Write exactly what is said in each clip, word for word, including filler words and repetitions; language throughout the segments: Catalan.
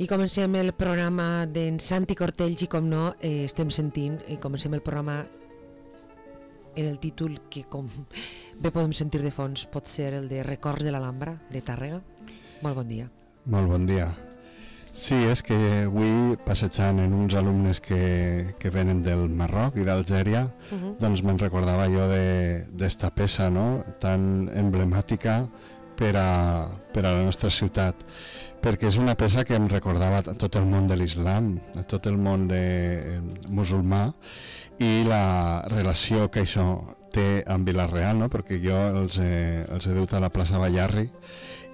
I comencem el programa d'en Santi Cortells i, com no, eh, estem sentint, i comencem el programa en el títol que, com bé podem sentir de fons, pot ser el de Records de l'Alhambra, de Tàrrega. Molt bon dia. Molt bon dia. Sí, és que avui, passejant en uns alumnes que, que venen del Marroc i d'Algèria, uh-huh. doncs me'n recordava jo d'esta peça, no?, tan emblemàtica per a, per a la nostra ciutat, perquè és una peça que em recordava a tot el món de l'islam, a tot el món de, musulmà, i la relació que això té amb Vila-real, no? Perquè jo els he, els he dut a la plaça Ballarri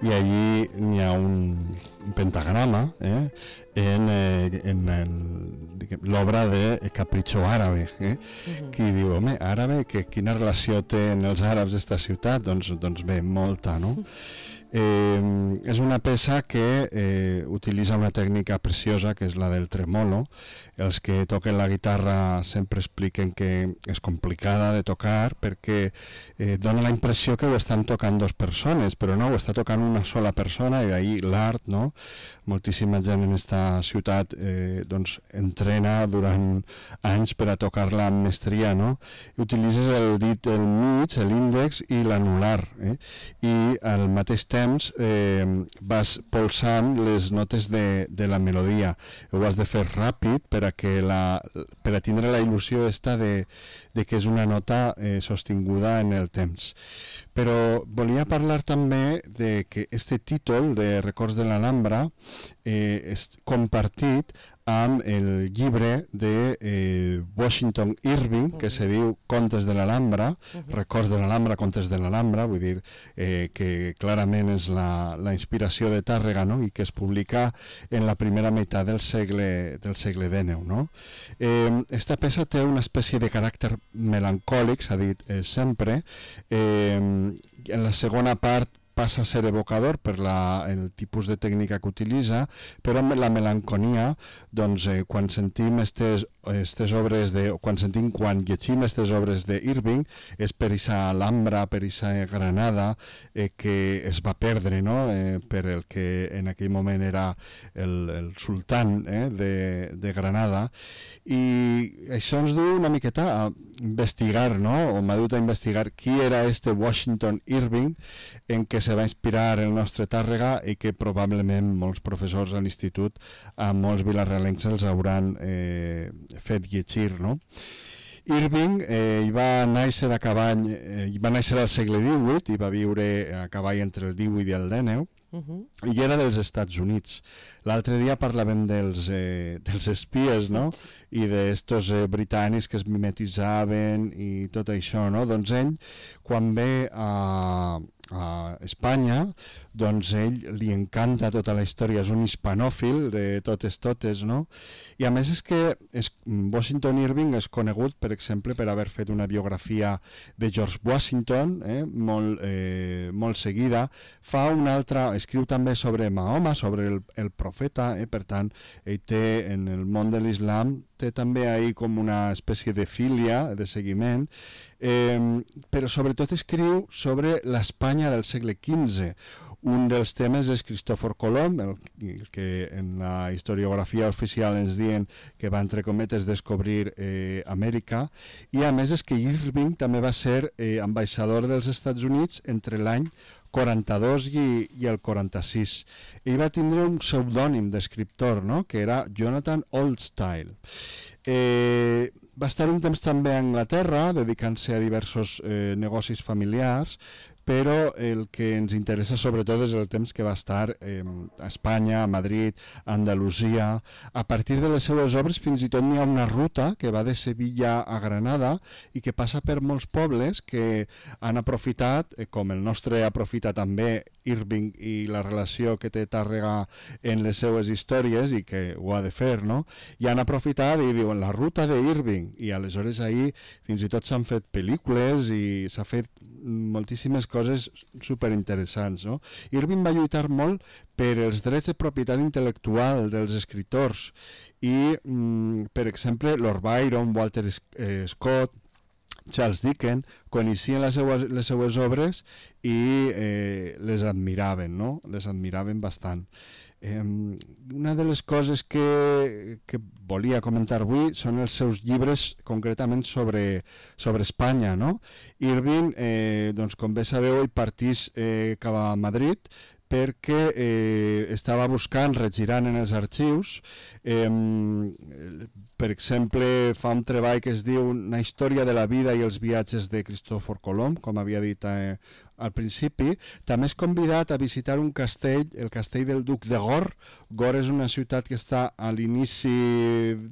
i allí n'hi ha un, un pentagrama eh? en, eh, en l'obra de Capricho Árabe, eh? Uh-huh. Qui diu, home, àrabe, que, quina relació tenen els àrabs d'esta ciutat? Doncs, doncs bé, molta, no? Eh, és una peça que eh, utilitza una tècnica preciosa, que és la del tremolo. Els que toquen la guitarra sempre expliquen que és complicada de tocar perquè eh, dona la impressió que ho estan tocant dues persones, però no, ho està tocant una sola persona, i ahí l'art, no? Moltíssima gent en esta ciutat eh, doncs entrena durant anys per a tocar-la amb mestria, no? I utilitzes el dit del mig, l'índex i l'anular, eh? I al mateix temps eh, vas polsant les notes de, de la melodia. Ho has de fer ràpid per a que la, per a tindre la il·lusió esta de, de que és una nota eh, sostinguda en el temps. Però volia parlar també de que este títol de Records de l'Alhambra eh, és compartit amb el llibre de eh, Washington Irving, que se diu Contes de l'Alhambra, uh-huh. Records de l'Alhambra, Contes de l'Alhambra, vull dir eh, que clarament és la, la inspiració de Tàrrega, no? I que es publica en la primera meitat del segle, del segle dinou, no? Eh, esta peça té una espècie de caràcter melancòlic, s'ha dit eh, sempre. Eh, en la segona part passa a ser evocador per la, el tipus de tècnica que utilitza, però amb la melanconia, doncs, eh, quan sentim estes, estes obres de, quan sentim, quan llegim estes obres d'Irving, és per aquesta Alhambra, per aquesta Granada, eh, que es va perdre, no?, eh, per el que en aquell moment era el, el sultán eh, de, de Granada, i això ens du una miqueta a investigar, no?, o m'ha dut a investigar qui era este Washington Irving, en què se va inspirar el nostre Tàrrega i que probablement molts professors a l'institut, a molts vilarealencs els hauran eh, fet llegir, no? Irving eh, hi va néixer a cavall, eh, hi va néixer al segle divuit i va viure a cavall entre el divuit i el dinou, uh-huh. i era dels Estats Units. L'altre dia parlàvem dels, eh, dels espies, no?, i d'estos eh, britànics que es mimetitzaven i tot això, no? Doncs ell, quan ve a, a Espanya, doncs ell li encanta tota la història, és un hispanòfil de totes totes, no? I a més és que és, Washington Irving és conegut, per exemple, per haver fet una biografia de George Washington, eh, molt, eh, molt seguida. Fa una altra, escriu també sobre Mahoma, sobre el, el profeta, eh, per tant, ell té en el món de l'islam té també ahí com una espècie de filia, de seguiment, eh, però sobretot escriu sobre l'Espanya del segle quinze. Un dels temes és Cristòfor Colom, el, el que en la historiografia oficial ens diuen que va, entre cometes, descobrir eh, Amèrica, i a més és que Irving també va ser eh, ambaixador dels Estats Units entre l'any quaranta-dos i, i el quaranta-sis. Ell va tindre un pseudònim d'escriptor, no?, que era Jonathan Oldstyle. Eh, va estar un temps també a Anglaterra, dedicant-se a diversos eh, negocis familiars, però el que ens interessa sobretot és el temps que va estar eh, a Espanya, a Madrid, a Andalusia. A partir de les seues obres fins i tot n'hi ha una ruta que va de Sevilla a Granada i que passa per molts pobles que han aprofitat, eh, com el nostre aprofita també Irving i la relació que té Tàrrega en les seues històries, i que ho ha de fer, no? I han aprofitat i diuen la ruta d'Irving, i aleshores ahir fins i tot s'han fet pel·lícules i s'ha fet moltíssimes coses superinteressants, no? Irving va lluitar molt per els drets de propietat intel·lectual dels escriptors i, mm, per exemple, Lord Byron, Walter eh, Scott, Charles Dickens, coneixien les seues, les seues obres i eh, les admiraven, no? Les admiraven bastant. Eh, una de les coses que, que volia comentar avui són els seus llibres concretament sobre, sobre Espanya, no? Irving, eh, doncs, com bé sabeu, ell partís eh, cap a Madrid perquè eh, estava buscant, regirant en els arxius, eh, per exemple, fa un treball que es diu Una història de la vida i els viatges de Cristòfor Colom, com havia dit eh, al principi. També és convidat a visitar un castell, el castell del Duc de Gor. Gor és una ciutat que està a l'inici,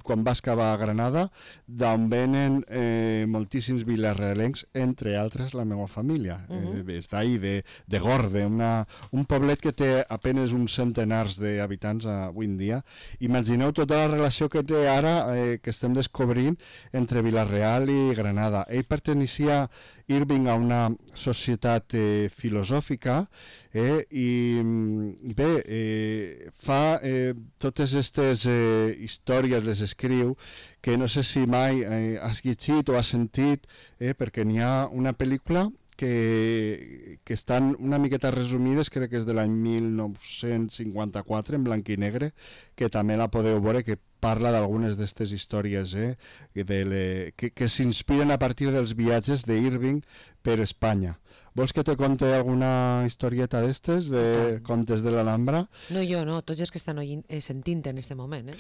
quan vas cap a Granada, d'on venen eh, moltíssims vilarealencs, entre altres la meva família. Uh-huh. eh, és d'ahir, de, de Gor, de una, un poblet que té apenes uns centenars d'habitants avui en dia. Imagineu tota la relació que té ara, eh, que estem descobrint, entre Vila-real i Granada. Ell perteneixia, Irving, a una societat eh, filosòfica, eh, i, i bé, eh, fa eh, totes aquestes eh, històries, les escriu, que no sé si mai eh, has llegit o has sentit, eh, perquè n'hi ha una pel·lícula que, que estan una miqueta resumides, crec que és de l'any mil nou-cents cinquanta-quatre, en blanc i negre, que també la podeu veure, que parla d'algunes d'aquestes històries eh, de le, que, que s'inspiren a partir dels viatges d'Irving per Espanya. Vols que te conte alguna historieta d'estes, de contes de l'Alhambra? No, jo no, tots els que estan oint, eh, sentint en aquest moment. Eh?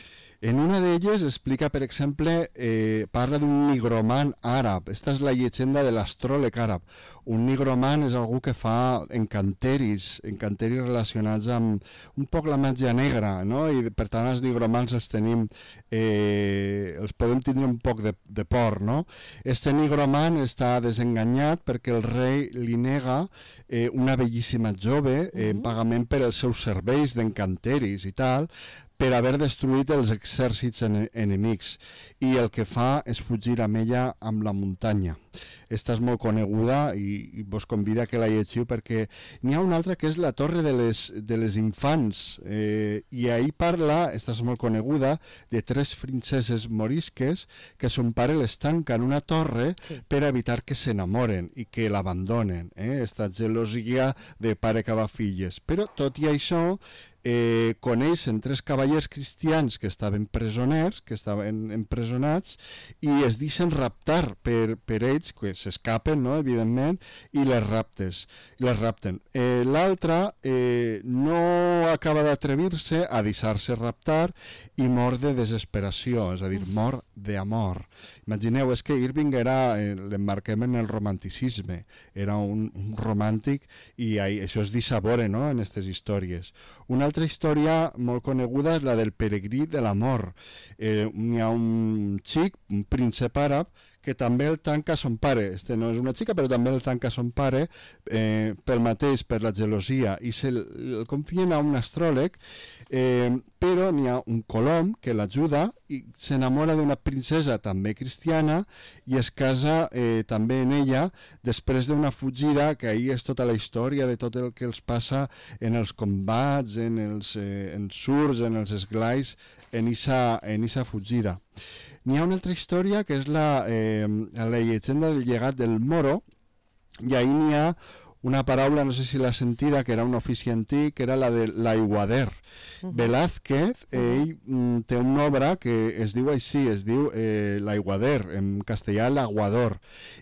En una d'elles explica, per exemple, eh, parla d'un nigromant àrab. Esta és la llegenda de l'astròleg àrab. Un nigromant és algú que fa encanteris, encanteris relacionats amb un poc la màgia negra, no? I per tant els nigromants els tenim, eh, els podem tindre un poc de, de por, no? Este nigromant està desenganyat perquè el rei li nega eh, una bellíssima jove eh, en pagament per els seus serveis d'encanteris i tal, per haver destruït els exèrcits en enemics, i el que fa és fugir amb ella amb la muntanya. Esta és molt coneguda i, i vos convida que la llegiu, perquè n'hi ha una altra que és la Torre de les, de les Infants, eh, i ahir parla, esta és molt coneguda, de tres princeses morisques que son pare les tanca en una torre sí. per evitar que s'enamoren i que l'abandonen. Eh? Esta gelosia de pare que va filles. Però tot i això, Eh, coneixen tres cavallers cristians que estaven presoners, que estaven empresonats, i es deixen raptar per, per ells, que s'escapen, no?, evidentment, i les raptes, i les rapten. Eh, L'altre eh, no acaba d'atrevir-se a deixar-se raptar i mor de desesperació, és a dir, mor d'amor. Imagineu, és que Irving era, eh, l'emmarquem en el romanticisme, era un, un romàntic, i ahí, això es deixa veure, no?, en aquestes històries. Una altra història molt coneguda és la del peregrí de l'amor. Eh, hi ha un xic, un príncep àrab, que també el tanca son pare. Este no és una xica, però també el tanca son pare, eh, pel mateix, per la gelosia, i se el confien a un astròleg, eh, però n'hi ha un colom que l'ajuda i s'enamora d'una princesa també cristiana i es casa eh, també en ella després d'una fugida, que ahir és tota la història de tot el que els passa en els combats, en els eh, ensurts, en els esglais, en esa, en esa fugida. N'hi ha una altra història que és la, eh, la llegenda del llegat del Moro, i ahir n'hi ha una paraula, no sé si l'ha sentida, que era un ofici antic, que era la de l'aiguader. Uh-huh. Velázquez, ell uh-huh. té una obra que es diu així, es diu eh, l'aiguader, en castellà l'aguador.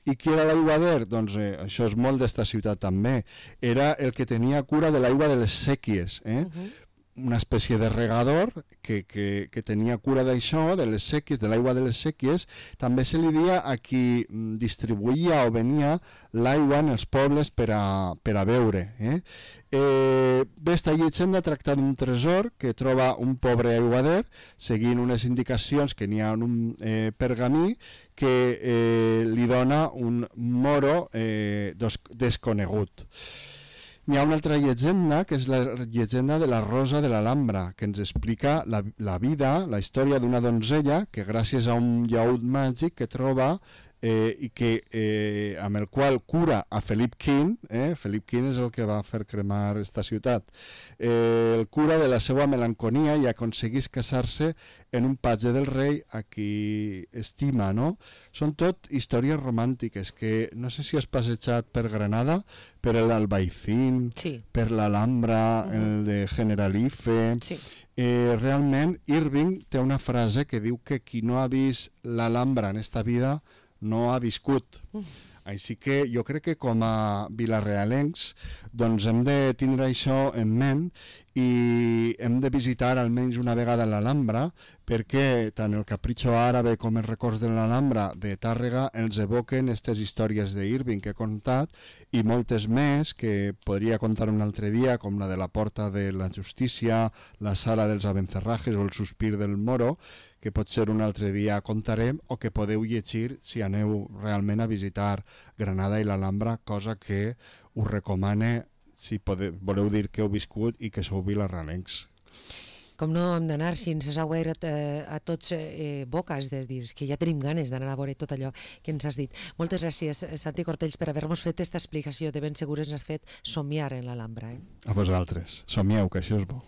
I qui era l'aiguader? Doncs eh, això és molt d'esta ciutat també. Era el que tenia cura de l'aigua de les sèquies, eh? Uh-huh. Una espècie de regador que, que, que tenia cura d'això, de les sèquies, de l'aigua de les sèquies. També se li dia a qui distribuïa o venia l'aigua en els pobles per a, per a beure. Eh? Eh, bé, esta llegenda tracta d'un tresor que troba un pobre aiguader seguint unes indicacions que n'hi ha en un eh, pergamí que eh, li dona un moro eh, desconegut. N'hi ha una altra llegenda, que és la llegenda de la Rosa de l'Alhambra, que ens explica la, la vida, la història d'una donzella que gràcies a un llaüt màgic que troba eh, i que, eh, amb el qual cura a Felip quint, eh? Felip quint és el que va fer cremar esta ciutat, eh, el cura de la seva melanconia i aconseguís casar-se en un patge del rei a qui estima, no? Són tot històries romàntiques que no sé si has passejat per Granada, per l'Albaicín, sí. per l'Alhambra, uh-huh. el de Generalife. Sí. Eh, realment, Irving té una frase que diu que qui no ha vist l'Alhambra en esta vida no ha viscut. Uh. Així que jo crec que com a vilarealencs doncs hem de tindre això en ment i hem de visitar almenys una vegada l'Alhambra perquè tant el Capricho Árabe com els records de l'Alhambra de Tàrrega ens evoquen aquestes històries d'Irving que he contat i moltes més que podria contar un altre dia, com la de la Porta de la Justícia, la Sala dels Abencerrajes o el Sospir del Moro, que potser un altre dia contarem o que podeu llegir si aneu realment a visitar Granada i l'Alhambra, cosa que us recomane si podeu, voleu dir que heu viscut i que sou vilarealencs. Com no hem d'anar, si ens has obert eh, a tots eh, boques, de dir que ja tenim ganes d'anar a veure tot allò que ens has dit. Moltes gràcies, Santi Cortells, per haver-nos fet aquesta explicació. De ben segur ens has fet somiar en l'Alhambra. Eh? A vosaltres. Somieu, que això és bo.